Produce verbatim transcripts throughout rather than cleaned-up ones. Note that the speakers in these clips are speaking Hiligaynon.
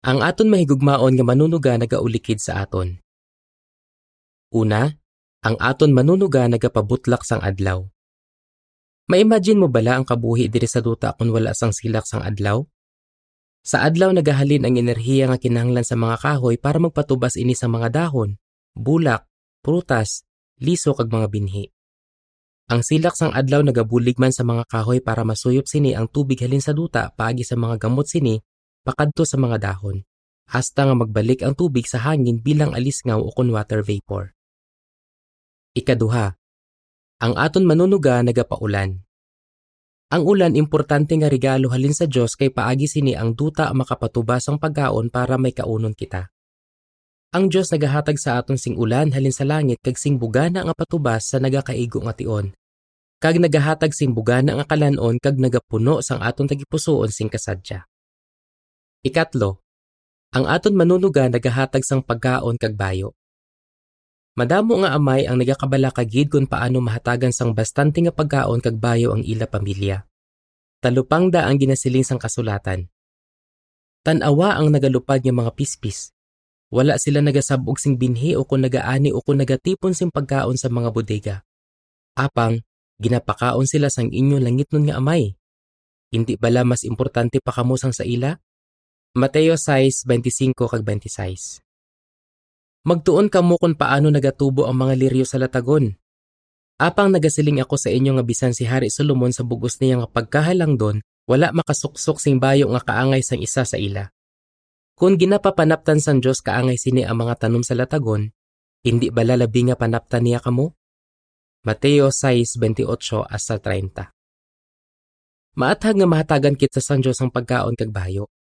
Ang aton mahigugmaon nga manunuga nagaulikid sa aton. Una, ang aton manunuga nagapabutlak sang adlaw. Ma-imagine mo bala ang kabuhi diri sa duta kon wala sang silak sang adlaw? Sa adlaw nagahalin ang enerhiya nga kinahanglan sa mga kahoy para magpatubas ini sa mga dahon, bulak, prutas, liso kag mga binhi. Ang silak sang adlaw nagabulig man sa mga kahoy para masuyop sini ang tubig halin sa duta paagi sa mga gamot sini pakadto sa mga dahon, hasta nga magbalik ang tubig sa hangin bilang alisngaw ukon water vapor. Ikaduha, ang aton manunuga nagapaulan. Ang ulan importante nga regalo halin sa Dios kay paagi sini ang duta makapatubas sang pagkaon para may kaunon kita. Ang Dios nagahatag sa aton sing ulan halin sa langit kag sing bugana nga patubas sa nagakaigo nga tion, kag nagahatag sing bugana nga kalan-on kag nagapuno sang aton tagipusoon sing kasadya. Ikatlo, ang aton manunuga nagahatag sang pagkaon kag bayo. Madamo nga amay ang nagakabalaka gid kon paano mahatagan sang bastante nga pagkaon kag bayo ang ila pamilya. Talupangda ang ginasiling sang kasulatan. Tan-awa ang nagalupad nga mga pispis. Wala sila nagasab-og sing binhi ukon nagaani ukon nagatipon sing pagkaon sa mga bodega. Apang, ginapakaon sila sang inyo langitnon nga Amay. Indi bala mas importante pa kamo sang sa ila? Mateo sais, bente singko kag bente sais. Magtuon kamo kon paano nagatubo ang mga liryo sa latagon. Apang nagasiling ako sa inyo nga bisan si Hari Solomon sa bug-os niya nga pagkahalangdon, wala makasuksok sing bayo nga kaangay sang isa sa ila. Kon ginapapanaptan sang Dios kaangay sini ang mga tanom sa latagon, indi bala labi nga panaptan niya kamo? Mateo sais, bente otso hasta treinta. Maathag nga mahatagan kita sang Dios ang pagkaon kag bayo.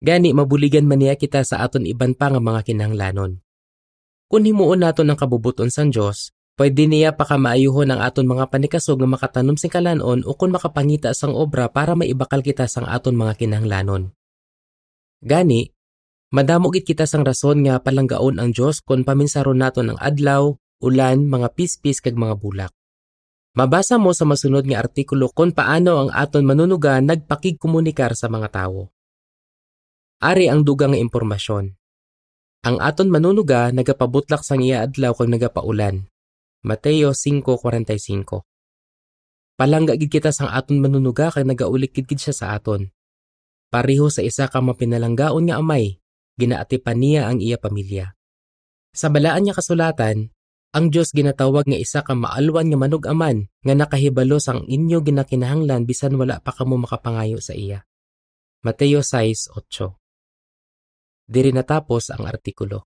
Gani, mabuligan man niya kita sa aton iban pa nga mga kinahanglanon. Kon himuon naton ang kabubot-on sang Dios, pwede niya pakamaayuhon ang aton mga panikasog nga makatanom sing kalan-on ukon makapangita sang obra para maibakal kita sang aton mga kinahanglanon. Gani, madamo gid kita sang rason nga palanggaon ang Dios kon paminsaron naton ang adlaw, ulan, mga pispis, kag mga bulak. Mabasa mo sa masunod nga artikulo kon paano ang aton manunuga nagpakigkomunikar sa mga tawo. Ari ang dugang nga impormasyon. Ang aton manunuga nagapabutlak sang iya adlaw kag nagapaulan. Mateo singko kuwarenta y singko. Palangga gid kita sang aton manunuga kag nagaulikid gid sia sa aton. Pareho sa isa ka mapinalanggaon nga amay, ginaatipan niya ang iya pamilya. Sa Balaan nga Kasulatan, ang Dios ginatawag nga isa ka maalwan nga manug-aman nga nakahibalo sang inyo ginakinahanglan bisan wala pa kamo makapangayo sa iya. Mateo sais otso. Diri natapos ang artikulo.